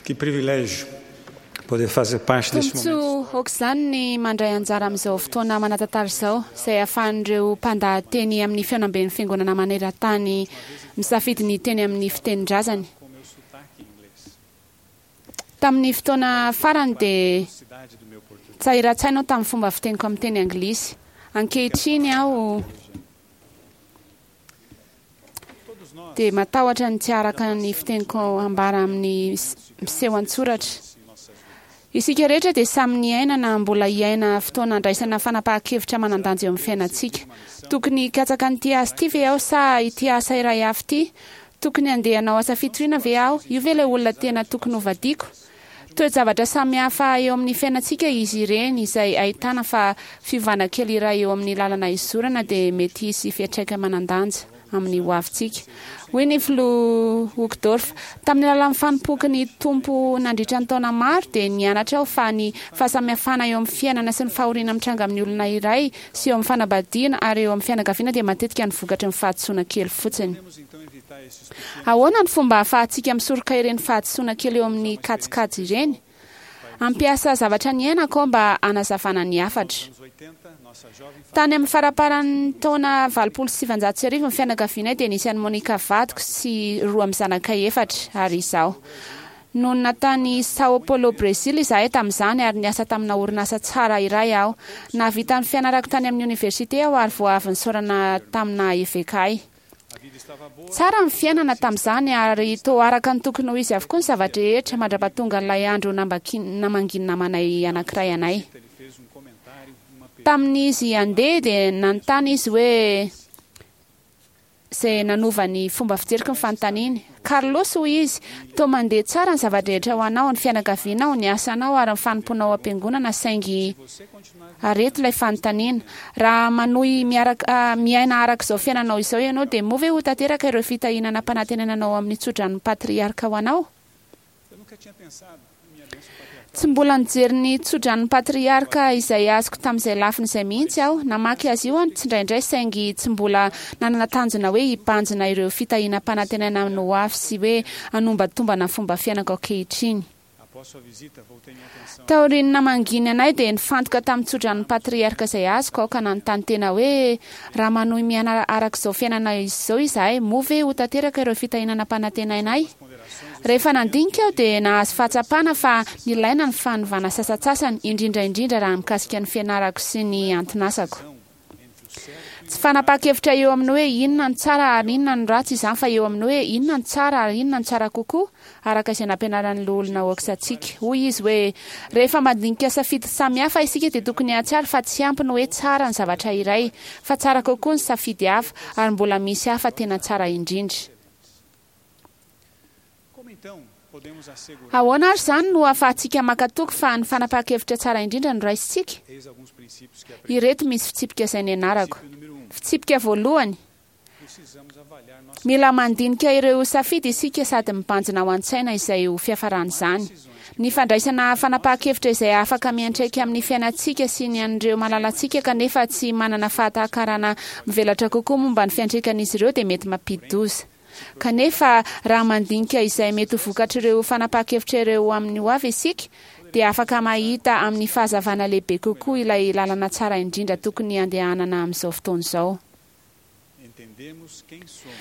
Que privilégio poder fazer parte deste momento. Tombontsoa aok'izany ny mandray anjara amin'izao fotoana manan-tantara izao, izay ahafahan'ireo mpandahateny amin'ny fihaonamben'ny Fiangonana maneran-tany misafidy ny hiteny amin'ny fitenin-drazany. Tamin'ny fotoana farany dia tsahiran-tsaina aho tamin'ny fomba fiteniko amin'ny teny anglisy. Ankehitriny aho dia matahotra ny tsy haharaka ny fiteniko hambara amin'ny miseho an-tsoratra. Isika rehetra dia samy niaina na mbola hiaina fotoana andraisana fanapahan-kevitra manan-danja eo amin'ny fiainantsika. Tokony hikatsaka an'ity asa ity ve aho sa ity asa iray hafa ity? Tokony handeha hanao asa fitoriana ve aho? Io ve ilay olona tena tokony hovadiako? Toe-javatra samihafa eo amin'ny fiainantsika izy ireny izay ahitana fa fiovana kely iray eo amin'ny lalana izorana dia mety hisy fiantraikany manan-danja amin'ny hoavintsika. Hoy ny Filoha Uchtdorf, Tamin'ny alalan'ny fanompoako ny Tompo nandritra ny taona maro dia nianatra aho fa ny fahasamihafana eo amin'ny fiainana sy ny fahoriana mitranga amin'ny olona iray sy eo amin'ny fanambadiana ary eo amin'ny fianakaviana dia matetika ny vokatry ny fahadisoana kely fotsiny. Ahoana ny fomba ahafahantsika misoroka ireny fahadisoana kely eo amin'ny kajikajy ireny? Hampiasa zavatra niainako aho mba hanazavana ny hafatra. Tany amin'ny faramparan'ny taona 1980 ny fianakavianay dia nisy an'i Monica vadiko sy roa amin'ny zanakay efatra ary izaho. Nonina tany São Paulo, Brezila izahay tamin'izany ary niasa tamina orinasa tsara iray aho. Nahavita ny fianarako tany amin'ny oniversite aho ary vao avy nisaorana tamina eveka ahy. Tsara ny fiainana tamin'izany ary toa araka ny tokony ho izy avokoa ny zava-drehetra mandra-pahatongan'ilay andro namangian'ny namanay anankiray anay. Tamin'izy handeha dia nanontany izy hoe izay nanova ny fomba fijeriko ny fanontaniany. Carlos, hoy izy, toa mandeha tsara ny zava-drehetra ho anao, ny fianakavianao, ny asanao ary ny fanompoanao ao am-piangonana saingy Ary eto ilay fanontaniana, raha manohy miaraka miaina araka izao fiainanao izao ianao dia moa ve ho tanteraka ireo fitahiana nampanantenaina anao amin'ny tsodranon'ny patriarka ho anao? Tsy mbola nijery ny tsodranon'ny patriarka izay azoko tamin'izay lafiny izay mihitsy aho. Namaky azy io aho tsindraindray saingy tsy mbola nanana tanjona hoe hibanjina ireo fitahiana ampanantenaina amin'ny hoavy sy hoe hanombantombana ny fomba fiainako ankehitriny. Taorian'ny namangiany anay dia nifantoka tamin'ny tsodranon'ny patriarka izay azoko aho ka nanontany tena hoe, Raha manohy miaina araka izao fiainana izao izahay, moa ve ho tanteraka ireo fitahiana nampanantenaina ahy? Rehefa nandinika aho dia nahazo fahatsapana fa nilaina ny fanovana sasantsasany, indrindra indrindra raha mikasika ny fianarako sy ny anton'asako. Tsy fanapahan-kevitra eo amin'ny hoe inona no tsara ary inona no ratsy izany fa eo amin'ny hoe inona no tsara ary inona no tsara kokoa, araka izay nampianaran'ny Loholona Oaks antsika. Hoy izy hoe, Rehefa mandinika safidy samihafa isika dia tokony hahatsiaro fa tsy ampy ny hoe tsara ny zavatra iray, fa tsara kokoa ny safidy hafa, ary mbola misy hafa tena tsara indrindra. Ahoana ary izany no ahafahantsika maka toky fa ny fanapahan-kevitra tsara indrindra no raisintsika? Ireto misy fitsipika izay nianarako. Fitsipika voalohany, Mila mandinika ireo safidy isika sady mibanjina ao an-tsaina izay ho fiafaran'izany. Ny fandraisana fanapahan-kevitra izay afaka miantraika amin'ny fiainantsika sy ny an'ireo malalantsika kanefa tsy manana fahatakarana mivelatra kokoa momba ny fiantraikan'izy ireo dia mety mampidi-doza. Kanefa, raha mandinika izay mety ho vokatr'ireo fanapahan-kevitra ireo amin'ny hoavy isika, dia afaka mahita amin'ny fahazavana lehibe kokoa ilay lalana tsara indrindra tokony handehanana amin'izao fotoana izao.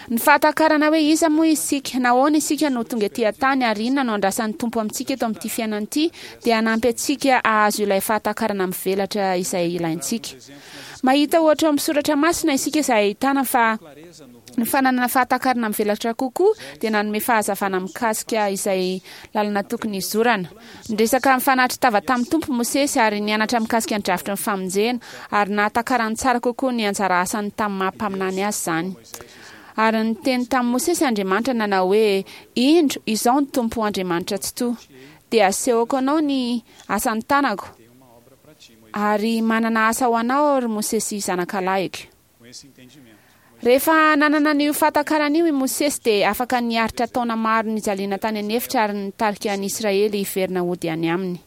Ny fahatakarana hoe iza moa isika, nahoana isika no tonga ety an-tany ary inona no andrasan'ny Tompo amintsika eto amin'ity fiainana ity dia hanampy antsika hahazo ilay fahatakarana mivelatra izay ilaintsika. Mahita ohatra ao amin'ny soratra masina isika izay ahitana fa Ny fananana fahatakarana mivelatra kokoa dia nanome fahazavana mikasika izay lalana tokony hizorana. Niresaka nifanatri-tava tamin'ny Tompo Mosesy ary nianatra mikasika ny drafitry ny famonjena, ary nahatakarany tsara kokoa ny anjara asany tamin'ny maha mpaminany azy izany. Ary niteny tamin'i Mosesy Andriamanitra nanao hoe, Indro, izao ny Tompo Andriamanitra Tsitoha. Dia asehoko anao ny asan'ny tanako, ary manana asa ho anao aho, ry Mosesy zanakalahiko. Rehefa nanana an'io fahatakarana io i Mosesy dia afaka niaritra taona maro nijaliana tany an'efitra ary nitarika an'i Israely hiverina hody any aminy.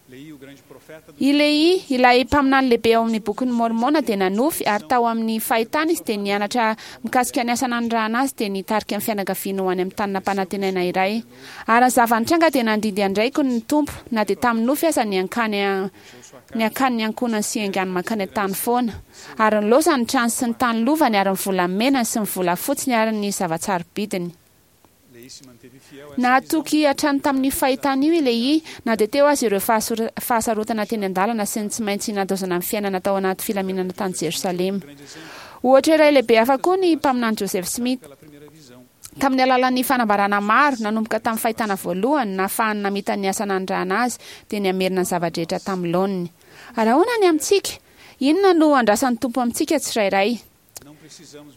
I Lehia, ilay mpaminany lehibe ao amin'ny Bokin'i Môrmôna dia nanofy, ary tao amin'ny fahitana izy dia nianatra mikasika ny asa nanirahana azy dia nitarika ny fianakaviany ho any amin'ny tany nampanantenaina iray. Ary ny zava-nitranga dia nandidy an-draiko ny Tompo, na dia tamin'ny nofy aza, ny hankany ny hankany ny ankohonany sy haingany mankany an-tany foana. Ary nilaozany ny trano sy ny tany lovany ary ny volamenany sy ny volafotsiny ary ny zava-tsarobidiny. Nahatoky hatrany tamin'io fahitana io i Lehia, na dia teo aza ireo fahasarotana teny an-dalana sy ny tsy maintsy nandaozana ny fiainana tao anaty filaminana tany Jerosalema. Ohatra iray lehibe hafa koa ny mpaminany Joseph Smith. Tamin'ny alalan'ny fanambarana maro, nanomboka tamin'ny fahitana voalohany, nahafahany namita ny asa nanirahana azy, dia ny hamerina ny zava-drehetra tamin'ny laoniny. Ary ahoana ny amintsika? Inona no andrasan'ny Tompo amintsika tsirairay?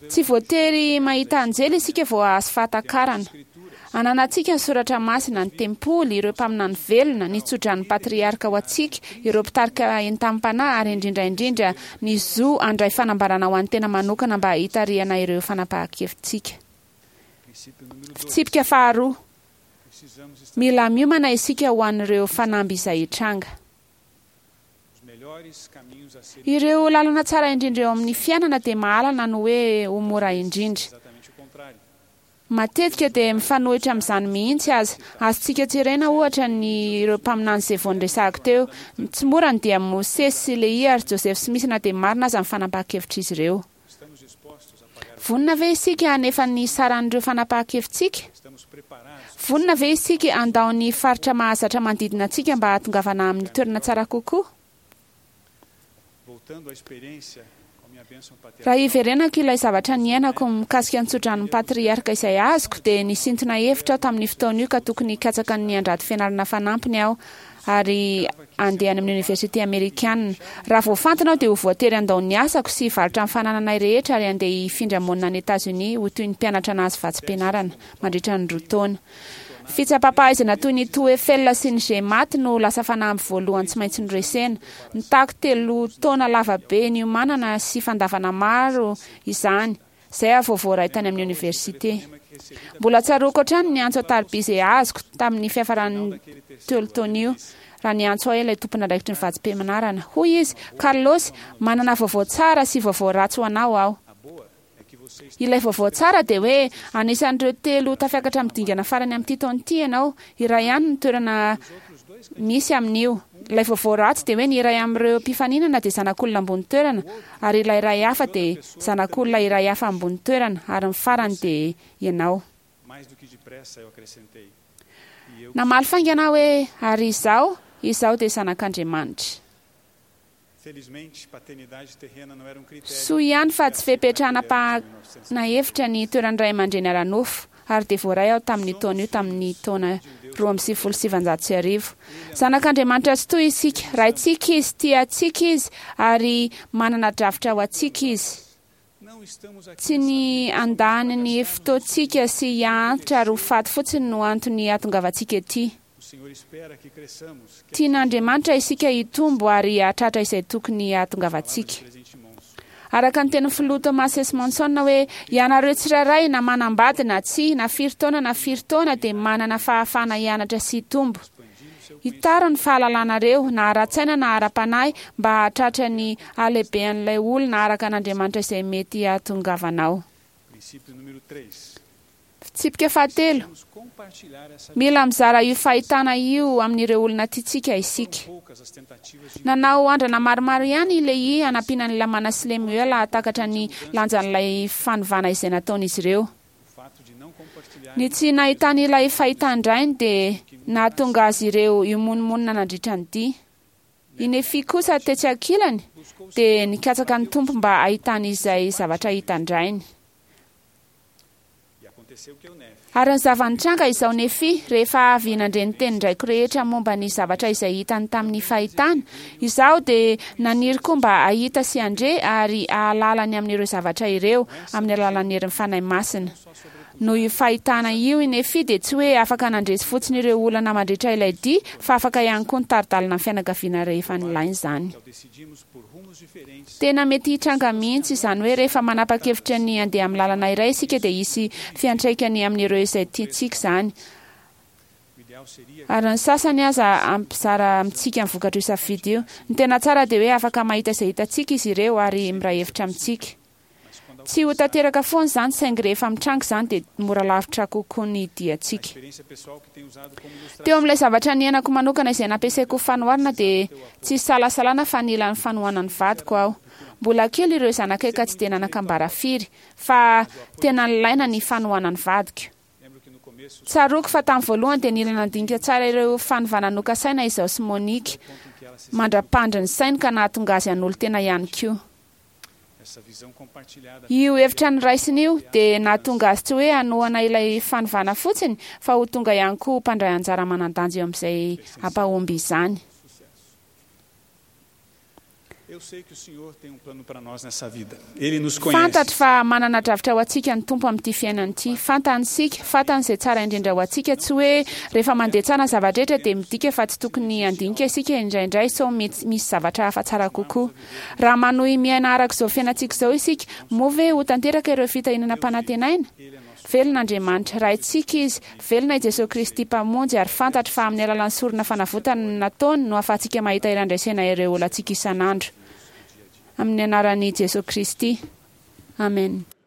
Tsy voatery mahita anjely isika vao hahazo fahatakarana. Ananantsika ny soratra masina, ny tempoly, ireo mpaminany velona, ny tsodran'ny patriarka ho antsika, ireo mpitarika entanim-panahy ary indrindra indrindra ny zo handray fanambarana ho an'ny tena manokana mba hitarihana ireo fanapahan-kevitsika. Fitsipika faharoa, Mila miomana isika ho an'ireo fanamby izay hitranga. Ireo lalana tsara indrindra eo amin'ny fiainana dia mahalana ny hoe ho mora indrindra. Matetika dia mifanohitra amin'izany mihitsy aza. Azontsika jerena, ohatra, ny ireo mpaminany izay vao noresahako teo. Tsy mora ny dian'i Mosesy sy Lehia ary Joseph Smith na dia marina aza ny fanapahan-kevitr'izy ireo. Vonona ve isika hanefa ny saran'ireo fanapahan-kevitsika? Vonona ve isika handao ny faritra mahazatra manodidina antsika mba hahatongavana amin'ny toerana tsara kokoa? Raha hiverenako ilay zavatra niainako mikasika ny tsodranon'ny patriarka izay azoko, dia nisintona hevitra aho tamin'io fotoana io ka tokony hikatsaka ny handrato fianarana fanampiny aho ary handeha any amin'ny oniversite amerikana. Raha voafantina aho dia ho voatery handao ny asako sy hivarotra ny fanananay rehetra ary handeha hifindra monina any Etazonia ho toy ny mpianatra nahazo vatsim-pianarana mandritra ny roa taona. Fitsapam-pahaizana toy ny TOEFL sy ny GMAT no lasa fanamby voalohany tsy maintsy noresena. Nitaky telo taona lava be niomanana sy fandavana maro izany. Izay aho vao voaray tany amin'ny oniversite. Mbola tsaroako hatrany ny antso an-tariby izay azoko tamin'ny fiafaran'ny telo taona io, raha niantso ahy ilay tompon'andraikitry ny vatsim-pianarana. Hoy izy, Carlos, manana vaovao tsara sy vaovao ratsy ho anao aho. Ilay vaovao tsara dia hoe anisan'ireo telo tafiakatra amin'ny dingana farany amin'ity taona ity ianao. Iray ihany ny toerana misy amin'io. Ilay vaovao ratsy dia hoe ny iray amin'ireo mpifaninana dia zanak'olona ambony toerana ary ilay iray hafa dia zanak'olona iray hafa ambony toerana ary ny farany dia ianao. Namaly faingana aho hoe, Ary izaho, izaho dia zanak'Andriamanitra. Soa ihany fa tsy fepetra hanapahana hevitra ny toeran'ny ray aman-dreny ara-nofo, ary dia voaray aho tamin'io taona io tamin'ny taona 1992. Zanak'Andriamanitra tsitoha isika, Raintsika Izy, tia antsika Izy, ary manana drafitra ho antsika Izy. Tsy ny handany ny fotoantsika sy hiantitra ary ho faty fotsiny no antony hahatongavantsika ety. Tian'Andriamanitra isika hitombo ary hahatratra izay tokony hahatongavantsika. Araka ny tenin'ny Filoha Thomas S. Monson hoe, Ianareo tsirairay, na manambady na tsia, na firy taona na firy taona, dia manana fahafahana hianatra sy hitombo. Hitaro ny fahalalanareo, na ara-tsaina na ara-panahy, mba hahatratra ny halehibean'ilay olona araka an'Andriamanitra izay mety hahatongavanao. Fitsipika fahatelo, Mila mizara io fahitana io amin'ireo olona tiantsika isika. Nanao andrana maromaro ihany i Lehia hanampiana an'i Lamana sy Lemoela hahatakatra ny lanjan'ilay fanovana izay nataon'izy ireo. Ny tsy nahitany ilay fahitan-drainy dia nahatonga azy ireo himonomonona nandritra ny dia. I Nefia kosa tetsy ankilany dia nikatsaka ny Tompo mba hahitany izay zavatra hitan-drainy. Ary ny zava-nitranga izao Nefia, rehefa avy nandre ny tenin-draiko rehetra momba ny zavatra izay hitany tamin'ny fahitana, izaho dia naniry koa mba hahita sy handre ary hahalala ny amin'ireo zavatra ireo amin'ny alalan'ny herin'ny Fanahy Masina. Noho io fahitana io i Nefia dia tsy hoe afaka nandresy fotsiny ireo olana mandritra ilay dia fa afaka ihany koa nitari-dalana ny fianakaviana rehefa nilaina izany. Tena mety hitranga mihitsy izany hoe rehefa manapa-kevitra ny handeha amin'ny lalana iray isika dia hisy fiantraikany amin'ireo izay tiantsika izany. Ary ny sasany aza hampizara amintsika ny vokatr'io safidy io. Ny tena tsara dia hoe afaka mahita izay hitantsika izy ireo ary miray hevitra amintsika. Tsy ho tanteraka foana izany saingy rehefa mitranga izany dia mora lavitra kokoa ny diantsika. Teo amin'ilay zavatra niainako manokana izay nampiasaiko ho fanoharana dia tsy isalasalana fa nila ny fanohanan'ny vadiko aho. Mbola kely ireo zanakay ka tsy dia nanan-kambara firy, fa tena nilaina ny fanohanan'ny vadiko. Tsaroako fa tamin'ny voalohany dia nila nandinika tsara ireo fanovana nokasaina izaho sy Monique, mandra-pandry ny sainy ka nahatonga azy hanolo-tena ihany koa. Io hevitra noraisiny io dia nahatonga azy tsy hoe hanohana ilay fanovana fotsiny fa ho tonga ihany koa ho mpandray anjara manan-danja eo amin'izay hampahomby izany. Fantatro fa manana drafitra ho antsika ny Tompo amin'ity fiainana ity. Fantany isika, fantany izay tsara indrindra ho antsika. Tsy hoe rehefa mandeha tsara ny zava-drehetra dia midika fa tsy tokony handinika isika indraindray sao mety misy zavatra hafa tsara kokoa. Raha manohy miaina araka izao fiainantsika izao isika, moa ve ho tanteraka ireo fitahiana nampanantenaina? Velona Andriamanitra, Raintsika Izy, velona i Jesoa Kristy Mpamonjy, ary fantatro fa amin'ny alalan'ny sorona fanavotana nataony no ahafahantsika mahita hery handresena ireo olantsika isan'andro. Amin'ny anaran'i Jesoa Kristy. Amen.